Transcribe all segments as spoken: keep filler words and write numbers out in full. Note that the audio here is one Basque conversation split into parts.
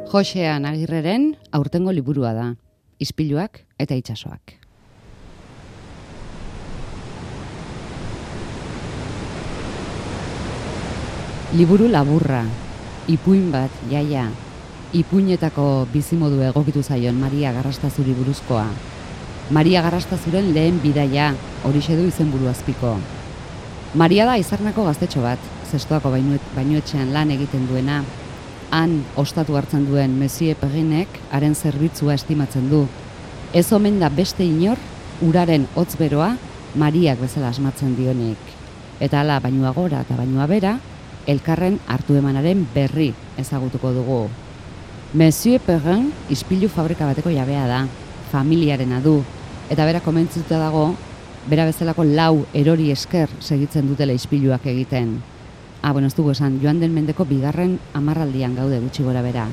Joxean Agirreren aurtengo liburua da, Ispiluak eta itsasoak. Liburu laburra, ipuin bat, jaia, ipuinetako bizimodu egokitu zaion Maria Garrastazuri buruzkoa. Maria Garrastazuren lehen bidaia, horixe du izenburu azpiko. Maria da Izarnako gaztetxo bat, zestoako bainuetxean lan egiten duena. Han ostatu hartzen duen Monsieur Perrinek haren zerbitzua estimatzen du. Ez omen da beste inor, uraren hotz beroa Mariak bezala asmatzen dionik. Eta hala bainua gora eta bainua bera, elkarren hartu emanaren berri ezagutuko dugu. Monsieur Perrin ispilu fabrika bateko jabea da, familiarena du, eta bera komentzituta dago, bera bezalako lau erori esker segitzen dutela ispiluak egiten. Ah, bueno, ez dugu esan, joan den mendeko bigarren hamarraldian gaude gutxi gora bera.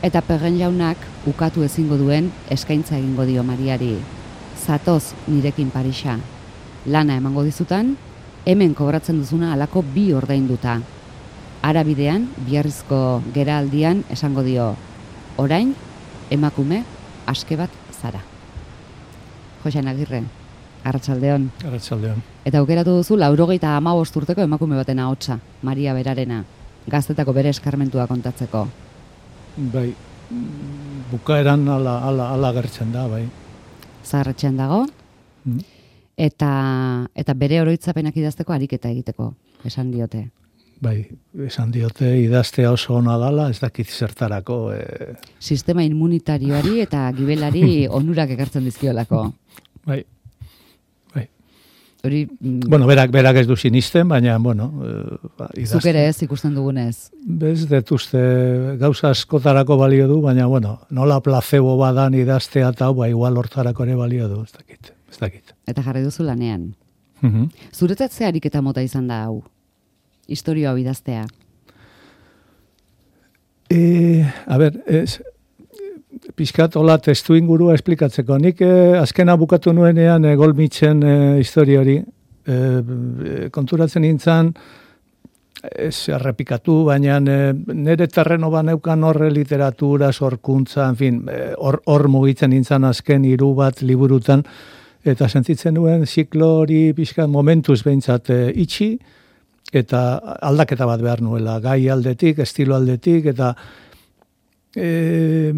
Eta Perrin jaunak ukatu ezingo duen eskaintza egingo dio Mariari. Zatoz nirekin Parisa. Lana emango dizutan, hemen kobratzen duzuna halako bi ordainduta. Arabidean, biharrizko geraldian esango dio, orain, emakume, aske bat zara. Joxean Agirre, arratsaldeon. Arratsaldeon. Eta aukeratu duzu laurogeita hamabost urteko emakume baten ahotsa, Maria berarena, gaztetako bere eskarmentua kontatzeko. Bai, bukaeran ala, ala, ala gertzen da, bai. Zaharretxean dago, mm. eta, eta bere oroitzapenak idazteko ariketa egiteko, esan diote. Bai, esan diote idaztea oso ona dala, ez dakit zertarako. E... Sistema immunitarioari eta gibelari onurak ekartzen dizkiolako. Bai, bai. Hori, bueno, berak, berak ez du sinisten, baina, bueno, ba, idazte. Zuk ere ez ikusten dugunez. Bez, detuzte gauza askotarako balio du, baina, bueno, nola placebo badan idaztea eta, ba, igual hortarako ere balio du, ez dakit, ez dakit. Eta jarri duzu lanean. Uh-huh. Zuretzat ze ariketa mota izan da hau? Historioa idaztea. E, a ber, ez, pixkat hola testu ingurua esplikatzeko. Nik eh, azkena bukatu nuenean eh, Golmitzen eh, historiori. Eh, konturatzen nintzen, ez errepikatu, baina eh, nire terreno baneukan horre literatura, sorkuntza, en fin, hor eh, mugitzen nintzen azken hiru bat liburutan, eta sentitzen nuen ziklo hori pixkat momentuz behintzat eh, itxi, eta aldaketa bat behar nuela, gai aldetik, estilo aldetik, eta e,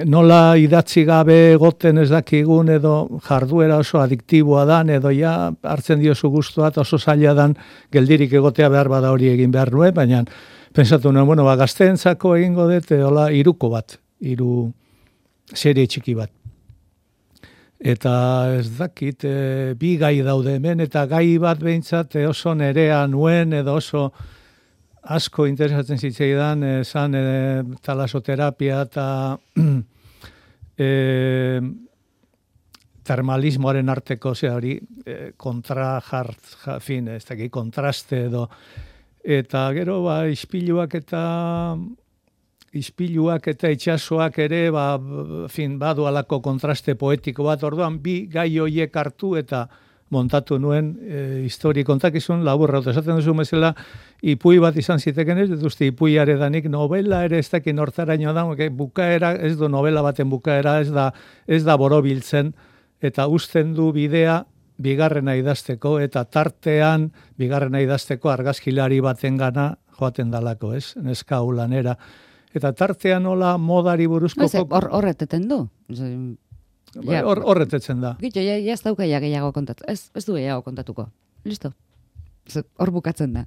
nola idatzi gabe goten ez dakigun, edo jarduera oso adiktiboa dan, edo ja hartzen diozu guztua, eta oso zaila dan geldirik egotea behar bada hori egin behar nuen, baina pensatu nuen, bueno, ba, gazteentzako egingo dut, hola, iruko bat, iru serie txiki bat. Eta ez dakit, e, bi gai daude hemen, eta gai bat behintzat oso nerea nuen, edo oso asko interesatzen zitzaidan, esan e, talasoterapia eta e, termalismoaren arteko, ze hori, e, kontra jart, ja, fin, ez dakit, kontraste edo, eta gero, ba, ispiluak eta... Ispiluak eta itsasoak ere, ba, fin, badu alako kontraste poetiko bat, orduan bi gai hoiek hartu eta montatu nuen e, histori kontakizun laburra. Esaten duzu bezala, ipui bat izan ziteken ez, duzte ipuiare danik novela ere ez dakin hortaraino da, bukaera, ez du novela baten bukaera, ez da, ez da borobiltzen, eta uzten du bidea bigarrena idazteko, eta tartean bigarrena idazteko argazkilari baten gana joaten dalako, ez, neska ulanera. Eta tartean nola modari buruzko... Horreteten du. Horretetzen da. Gito, ja ez dauka ja gehiago kontatu. Ez, ez du gehiago kontatuko. Listo. Hor bukatzen da.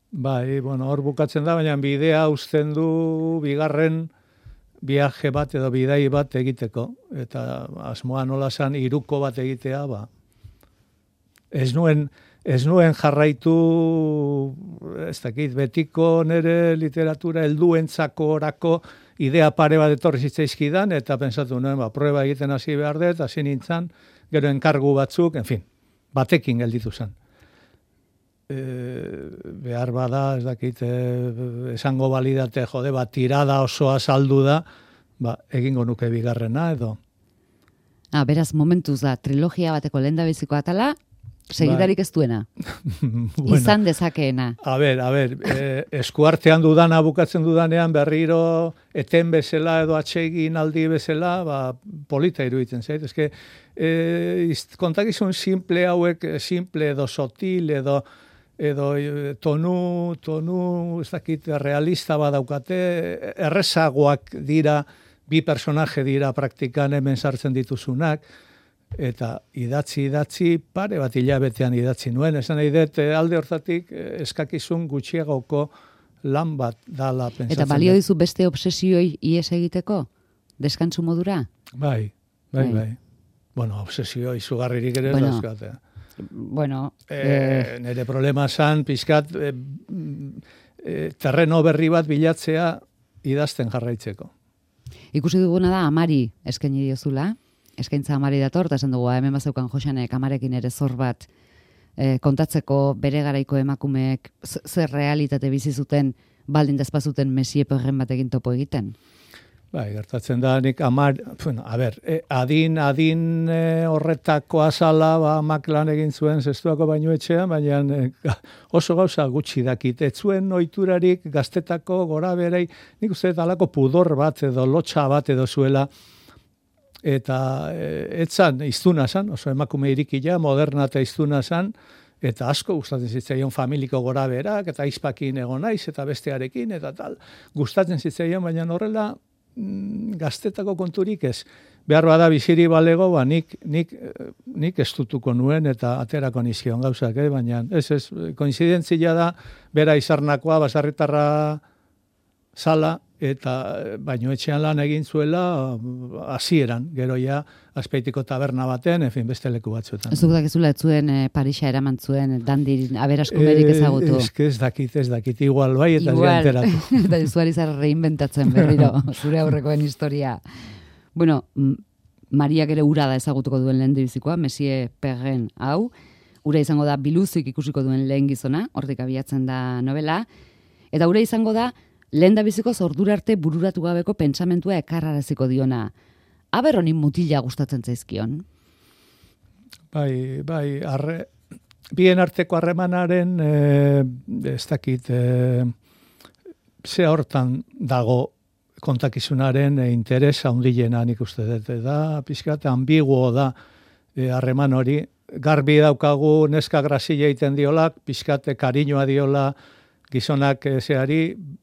Bai, bueno, hor bukatzen da, baina bidea uzten du bigarren viaje bat edo bidai bat egiteko. Eta asmoa nola zan iruko bat egitea, ba. Ez nuen... Ez nuen jarraitu, ez dakit, betiko nere literatura helduentzako orako idea pare bat etorri zitzaizkidan, eta pensatu nuen, ba, prueba egiten hasi behar dut, hasi nintzen, gero enkargu batzuk, en fin, batekin gelditu zen. E, behar bada, ez dakit, e, esango balidate, jode, ba, tirada osoa saldu da, ba, egingo nuke bigarrena, edo. Ah, beraz, momentuz da, trilogia bateko lehendabiziko atala, Segidarik ez duena. Bueno, izan dezakeena. A ber, a ber, eh, eskuartean dudana bukatzen dudanean berriro eten bezala edo atsegin aldi bezala, ba, polita iruditzen zait. Ez que, eh, kontakizun simple hauek, simple edo sotil edo edo tonu, tonu, ez dakit, realista badaukate, errezagoak dira, bi personaje dira praktikan hemen sartzen dituzunak, eta idatzi, idatzi, pare bat hilabetean idatzi nuen. Esan nahi dut, alde hortatik eskakizun gutxiagoko lan bat dala pentsatzen. Eta balio dizu beste obsesioi ies egiteko? Deskantzu modura? Bai, bai, bai. bai. Bueno, obsesio izugarririk ere bueno, dauzkate. Bueno, e, eh, nire problema zan, pixkat, e, e, terreno berri bat bilatzea idazten jarraitzeko. Ikusi duguna da, Amari eskaini diozula, eskaintza Amari dator, eta esan dugu, hemen bazeukan Joxanek Amarekin ere zor bat e, kontatzeko bere garaiko emakumeek zer realitate bizi zuten baldin dazpazuten Mesie Perren batekin topo egiten. Bai, gertatzen da, nik Amar, bueno, a ber, eh, adin, adin eh, horretako azala, ba, amak lan egin zuen zestuako baino etxean, baina eh, oso gauza gutxi dakit. Ez zuen oiturarik gaztetako gora berei, nik uste alako pudor bat edo lotxa bat edo zuela, eta eh, etzan iztuna zan, oso emakume irikila, moderna eta iztuna zan, eta asko gustatzen zitzaion familiko gora berak, eta izpakin egon naiz, eta bestearekin, eta tal, gustatzen zitzaion, baina horrela, gaztetako konturik ez. Behar bada biziri balego, ba, nik, nik, nik estutuko nuen eta aterako nizkion gauzak, eh? Baina ez, ez, koinzidentzia da, bera izarnakoa, basarritarra sala, eta baino etxean lan egin zuela hasieran, gero ja Azpeitiko taberna baten, en fin, beste leku batzuetan. Ez duk dakizula ez zuen e, Parisa eraman zuen dandi aberaskumerik ezagutu. Ez ez dakit, ez dakit, igual bai eta zianteratu. Eta zuari zara reinventatzen berriro, zure aurrekoen historia. Bueno, Mariak ere ura da ezagutuko duen lehen bizikoa, Mesie Perren hau, ura izango da biluzik ikusiko duen lehen gizona, hortik abiatzen da novela, eta ura izango da lehen da biziko zordura arte bururatu gabeko pentsamentua ekarraraziko diona. Aber honin mutila gustatzen zaizkion? Bai, bai, arre, bien arteko harremanaren, e, ez dakit, e, ze hortan dago kontakizunaren e, interes handiena nik uste dut. Da, pixkat, ambiguo da harreman e, hori. Garbi daukagu neska grazia egiten diolak, pixkat, kariñoa diola, gizonak e, zeari,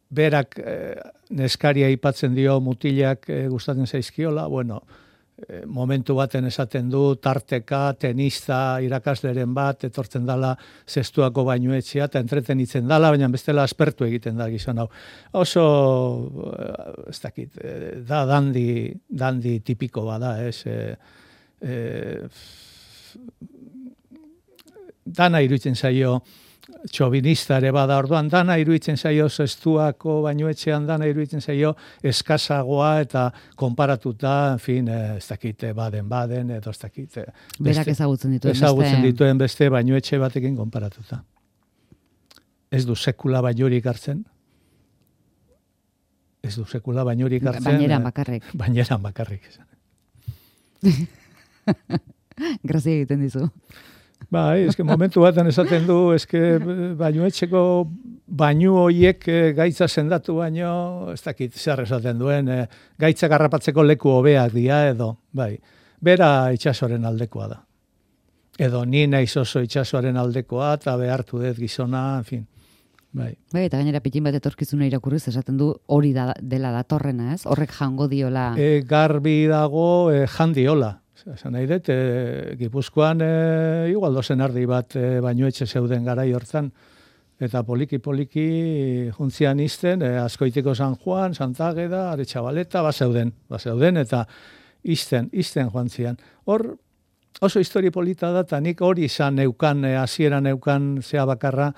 berak e, neskaria aipatzen dio mutilak e, gustatzen zaizkiola, bueno, e, momentu baten esaten du, tarteka, tenista, irakasleren bat, etortzen dala zestuako bainuetxea, eta entretenitzen dala, baina bestela aspertu egiten da gizon hau. Oso, ez dakit, da dandi, dandi tipiko bada, ez, e, e, dana iruditzen zaio, txobinista ere bada, orduan dana iruditzen zaio zestuako bainuetxean, dana iruditzen zaio eskasagoa eta konparatuta, en fin, ez dakite baden-baden, edo ez dakite. Berak ezagutzen dituen beste. Ezagutzen dituen beste bainuetxe batekin konparatuta. Ez du sekula bainurik hartzen. Ez du sekula bainurik hartzen. Baineran bakarrik. Baineran bakarrik. Grazia egiten dizu. Bai, eske momentu baten esaten du, eske bainuetxeko bainu hoiek gaitza sendatu baino, ez dakit zer esaten duen, e, gaitza garrapatzeko leku hobeak dira edo, bai, bera itxasoren aldekoa da. Edo ni naiz oso itxasoren aldekoa, eta behartu dut gizona, en fin, bai. Bai, eta gainera pitin bat etorkizuna irakurriz, esaten du hori da, dela datorrena, ez? Horrek jango diola. E, garbi dago, e, jandiola. Esan nahi dut, e, Gipuzkoan e, igual dozen ardi bat e, bainuetxe zeuden garai hortan, eta poliki-poliki juntzian izten, e, Azkoitiko San Juan, Santa Ageda, Aretxabaleta, bazeuden, bazeuden, eta izten, izten joan zian. Hor, oso histori polita da, eta nik hori izan neukan, e, hasieran neukan zea bakarra,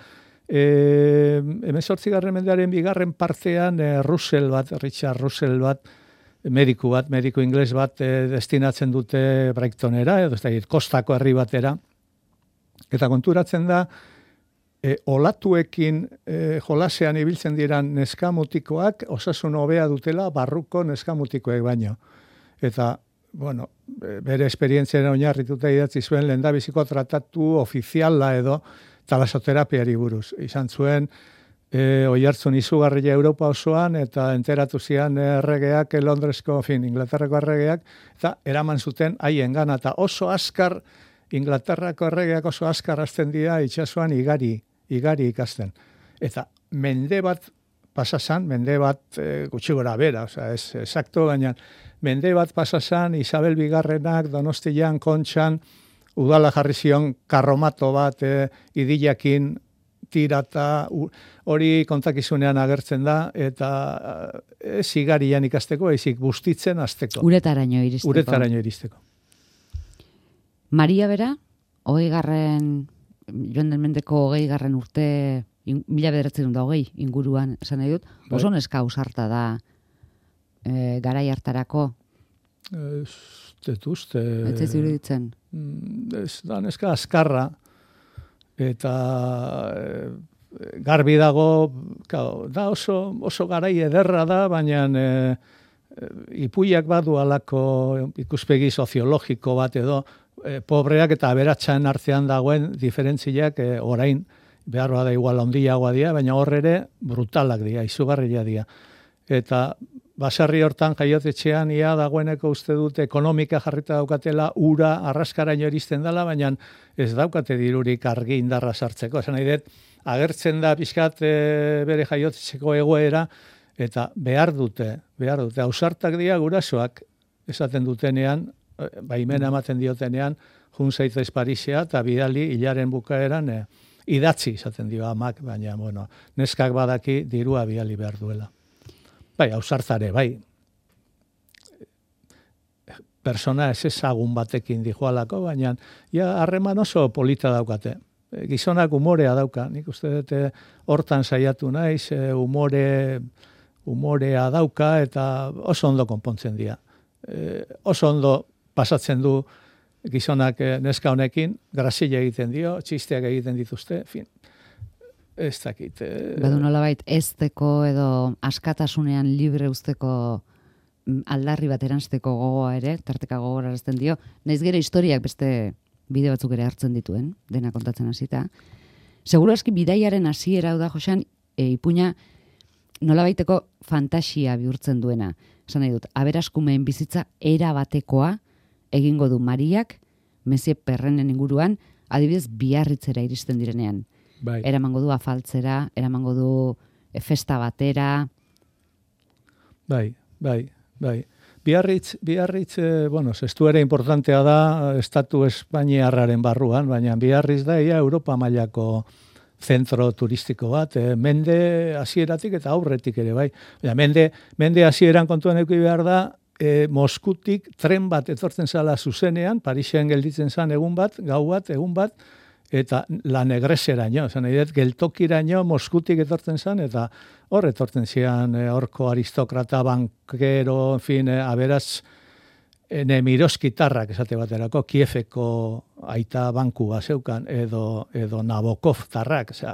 e, hemezortzigarren mendearen bigarren partean, e, Russell bat, Richard Russell bat, mediku bat, mediku ingles bat e, destinatzen dute Brightonera, edo ez da, kostako herri batera. Eta konturatzen da, e, olatuekin e, jolasean ibiltzen diran neskamutikoak osasun hobea dutela barruko neskamutikoek baino. Eta bueno, bere esperientziaren oinarrituta idatzi zuen lehendabiziko tratatu ofiziala edo talasoterapiari buruz. Izan zuen, e, oihartzun izugarria Europa osoan, eta enteratu zian erregeak, Londresko, fin, Inglaterrako erregeak, eta eraman zuten haien gana, eta oso askar, Inglaterrako erregeak oso askar hasten dira itsasoan igari, igari ikasten. Eta mende bat pasasan, mende bat e, gutxi gora bera, oza, ez exacto, baina mende bat pasasan, Isabel Bigarrenak, Donostian, Kontxan, udala jarri zion karromato bat e, idilakin tirata, hori kontakizunean agertzen da, eta ez igarian ikasteko, ezik bustitzen azteko. Uretaraino iristeko. Uretaraino iristeko. Maria bera, hogei garren, joan den mendeko hogei garren urte, in, mila bederatzen da hogei inguruan, esan nahi dut, oso neska ausarta da e, garai hartarako. Ez detuzte... Ez ez iruditzen. Ez da neska azkarra, eta e, garbi dago, kao, da oso, oso garai ederra da, baina e, e, ipuiak badu alako ikuspegi soziologiko bat edo, e, pobreak eta aberatsan artean dagoen diferentziak e, orain, behar bada igual ondiagoa dira, baina hor ere brutalak dira, izugarria dira. Eta basarri hortan jaiotetxean ia dagoeneko uste dut ekonomika jarrita daukatela, ura arraskaraino iristen dela, baina ez daukate dirurik argi indarra sartzeko. Esan nahi dut, agertzen da pixkat e, bere jaiotetxeko egoera, eta behar dute, behar dute, ausartak dira gurasoak esaten dutenean, baimena ematen diotenean, jun zaitez Parisea eta bidali hilaren bukaeran e, idatzi izaten dio amak, baina bueno, neskak badaki dirua bidali behar duela. Bai, ausartzare, bai. Persona ez ezagun batekin dijoalako, baina ja harreman oso polita daukate. Gizonak umorea dauka, nik uste dut hortan saiatu naiz, umore, umorea dauka eta oso ondo konpontzen dira. E, oso ondo pasatzen du gizonak neska honekin, grazia egiten dio, txisteak egiten dituzte, fin. Ez dakit. Eh... Badu nolabait ezteko edo askatasunean libre usteko aldarri bat eranzteko gogoa ere, tarteka gogorarazten dio, naiz gero historiak beste bide batzuk ere hartzen dituen, dena kontatzen hasita. Seguro aski bidaiaren hasiera da Joxan, e, ipuina nolabaiteko fantasia bihurtzen duena. Esan nahi dut, aberaskumeen bizitza era batekoa egingo du Mariak, Mezie Perrenen inguruan, adibidez Biarritzera iristen direnean. Bai. Eramango du afaltzera, eramango du festa batera. Bai, bai, bai. Biarritz, Biarritz, eh, bueno, zestuera importantea da estatu espainiarraren barruan, baina Biarritz da ia Europa mailako zentro turistiko bat, eh, mende hasieratik eta aurretik ere, bai. Baina mende, mende hasieran kontuan eduki behar da, eh, Moskutik tren bat etortzen zala zuzenean, Parisen gelditzen zan egun bat, gau bat, egun bat, eta la negreseraino, esan nahi dut, geltokiraino Moskutik etortzen zen, eta hor etortzen zian horko aristokrata, bankero, en fin, aberaz, nemiroskitarrak esate baterako, Kiefeko aita bankua zeukan, edo, edo Nabokov tarrak, osea,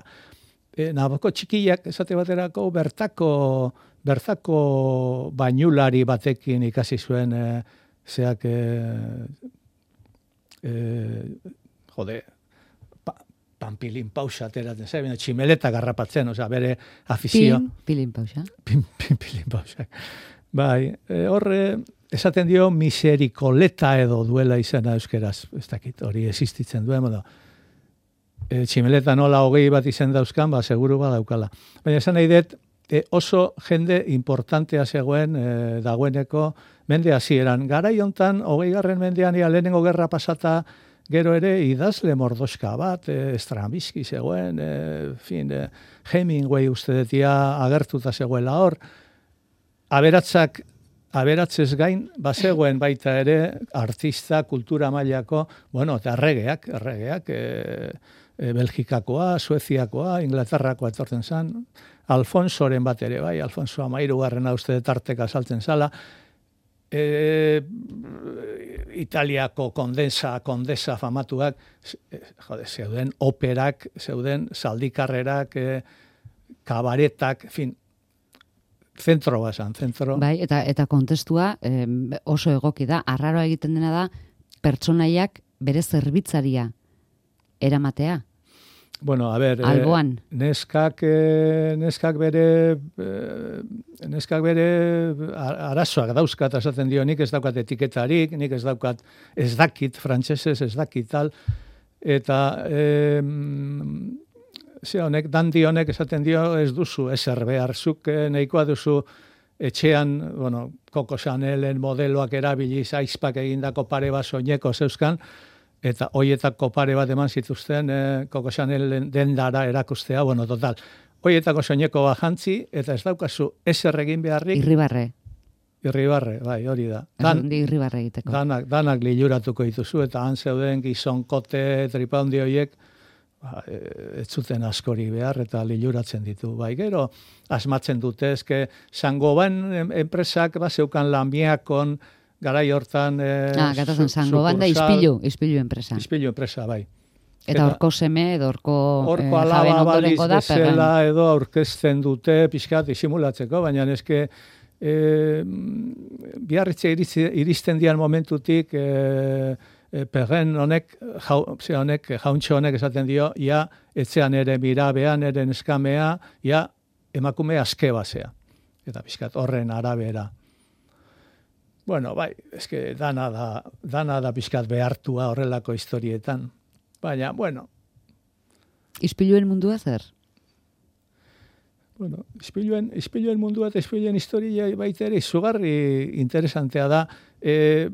e, Nabokov txikiak esate baterako, bertako, bertako bainulari batekin ikasi zuen, e, zeak, e, e, jode, Pampilin pausa ateratzen zen, tximeleta garrapatzen, osea, bere afizio. Pin, pilin pausa. Pin, pin, pilin pausa. Bai, e, horre, esaten dio miserikoleta edo duela izena euskeraz, ez dakit, hori existitzen duen, modo. E, tximeleta nola hogei bat izen dauzkan, ba, seguru ba daukala. Baina esan nahi dut, e, oso jende importantea zegoen, e, dagoeneko, mende hasieran. Garai hontan, hogei garren mendean, ia lehenengo gerra pasata, gero ere idazle mordoska bat, e, Stravinsky zegoen, e, fin, e, Hemingway uste detia agertuta zegoela hor, aberatzak, aberatzez gain, bazegoen baita ere artista, kultura mailako, bueno, eta erregeak, erregeak, e, e, Belgikakoa, Sueziakoa, Inglaterrakoa etortzen zen, Alfonsoren bat ere, bai, Alfonso Amairugarrena uste tarteka saltzen zala, E, Italiako kondensa, kondesa famatuak, jode, zeuden operak, zeuden zaldikarrerak, e, kabaretak, fin, zentro basan, zentro. Bai, eta eta kontestua eh, oso egoki da, arraroa egiten dena da, pertsonaiak bere zerbitzaria eramatea. Bueno, a ver, alboan. Eh, neskak, eh, neskak bere, eh, neskak bere arazoak dauzkat, esaten dio, nik ez daukat etiketarik, nik ez daukat, ez dakit, frantsesez ez dakit tal, eta eh, ze honek, dandi honek esaten dio, ez duzu ezer behar, zuk eh, nahikoa duzu etxean, bueno, Coco Chanelen modeloak erabiliz, aizpak egindako pare bat soineko zeuzkan, eta hoietako pare bat eman zituzten eh, Coco Chanel dendara erakustea, bueno, total. Hoietako soineko bat jantzi, eta ez daukazu ezer egin beharrik. Irribarre. Irribarre, bai, hori da. Dan, irribarre egiteko. Danak, danak liluratuko dituzu, eta han zeuden gizonkote, tripaundi horiek, ba, ez zuten askori behar, eta liluratzen ditu. Bai, gero, asmatzen dute, ezke, Sangoban enpresak, ba, zeukan lamiakon, garai hortan... Eh, ah, gatazen, Sangoban da ispilu, ispilu enpresa. Ispilu enpresa, bai. Eta horko seme, edo horko eh, jaben ondorengo da, bezala edo aurkezten dute pixkat disimulatzeko, baina eske eh, biarritze iristen dian momentutik eh, perren honek, jau, honek, jauntxo honek esaten dio, ja, etzean ere mirabean, ere neskamea, ja, emakume aske basea. Eta pixkat horren arabera. Bueno, bai, eske dana da, dana da pixkat behartua horrelako historietan. Baina, bueno. Ispiluen mundua zer? Bueno, ispiluen, ispiluen mundua eta ispiluen historia baita ere izugarri interesantea da. E,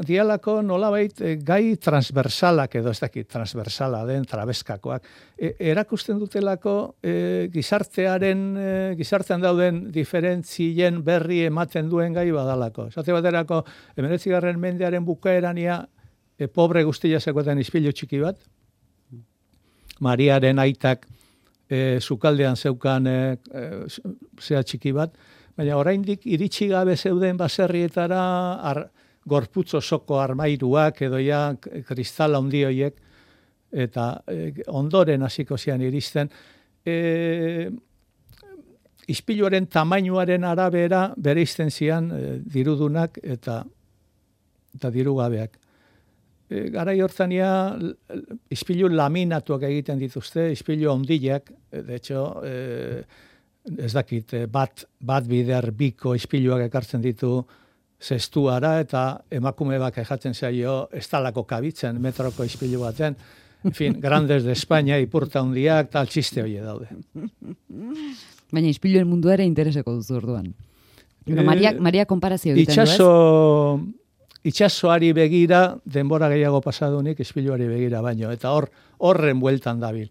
dialako nolabait e, gai transversalak edo ez dakit transversala den trabeskakoak. E, erakusten dutelako e, gizartearen, e, gizartean dauden diferentzien berri ematen duen gai badalako. Esate baterako, hemeretzigarren mendearen bukaerania e, pobre guztia zekoetan ispilu txiki bat. Mariaren aitak e, sukaldean zeukan e, e, zea txiki bat, baina oraindik iritsi gabe zeuden baserrietara ar, gorputz osoko armairuak edo ja kristala handi horiek, eta e, ondoren hasiko zian iristen. E, ispiluaren tamainuaren arabera bere izten zian e, dirudunak eta, eta dirugabeak. E, garai hortania ispilu laminatuak egiten dituzte, ispilu ondileak, de hecho, e, ez dakit, bat, bat bider biko ispiluak ekartzen ditu zestuara, eta emakume bak ejatzen zaio ez talako kabitzen metroko ispilu baten. En fin, Grandes de España, ipurta hundiak, tal txiste hori daude. Baina ispiluen mundu ere intereseko duzu orduan. E, Maria, Maria konparazio egiten itxaso, du ez? Itxasoari begira, denbora gehiago pasadunik, ispiluari begira baino, eta hor horren bueltan dabil.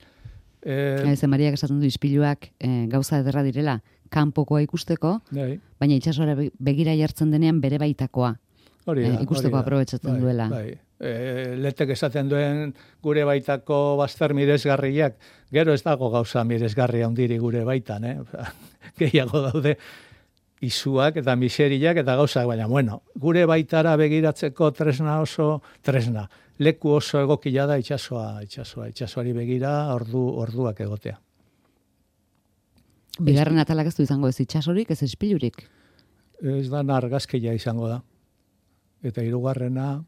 Eh, ez, Mariak esaten du ispiluak eh, gauza ederra direla, kanpokoa ikusteko, dai. Baina itxasoara begira jartzen denean bere baitakoa. Hori da, eh, ikusteko aprobetsatzen bai, duela. Bai. E, letek esaten duen gure baitako bazter miresgarriak, gero ez dago gauza miresgarria handiri gure baitan, eh? Gehiago daude izuak eta miseriak eta gauzak, baina bueno, gure baitara begiratzeko tresna oso, tresna, leku oso egokila da itxasoa, itxasoa, itxasoari begira ordu, orduak egotea. Bigarren atalak ez du izango ez itxasorik, ez ispilurik? Ez da argazkia izango da. Eta hirugarrena,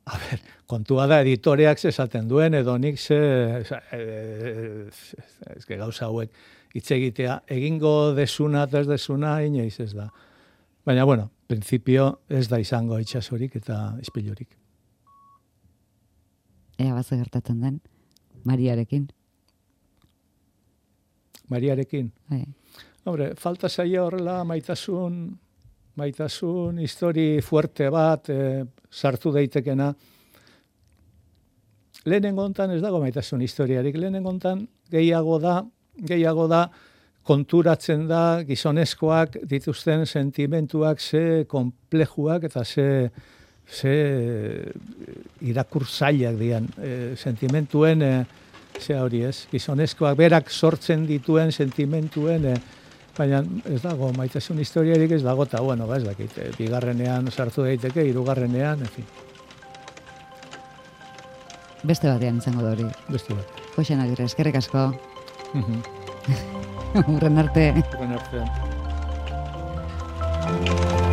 a ber, kontua da editoreak esaten duen, edo nik ze, ez que gauza hauek hitz egitea, egingo desuna, ez desuna, inoiz ez da. Baina, bueno, principio ez da izango itxasorik eta ispilurik. Ea baze gertatzen den, Mariarekin. Mariarekin? Hai. Hombre, falta zaia horrela maitasun, maitasun histori fuerte bat, e, sartu daitekena. Lehenengo hontan ez dago maitasun historiarik, lehenengo hontan gehiago da, gehiago da, konturatzen da gizonezkoak dituzten sentimentuak ze komplejuak eta ze, ze irakurtzaileak dian. E, sentimentuen, e, ze hori ez, gizonezkoak berak sortzen dituen sentimentuen, e, baina ez dago maitasun historiarik ez dago, eta bueno, ba ez dakit, e, bigarrenean sartu daiteke, hirugarrenean, en fin. Beste batean izango da hori. Beste bat. Joxen Agirre, eskerrik asko. Urren arte. Urren arte. Thank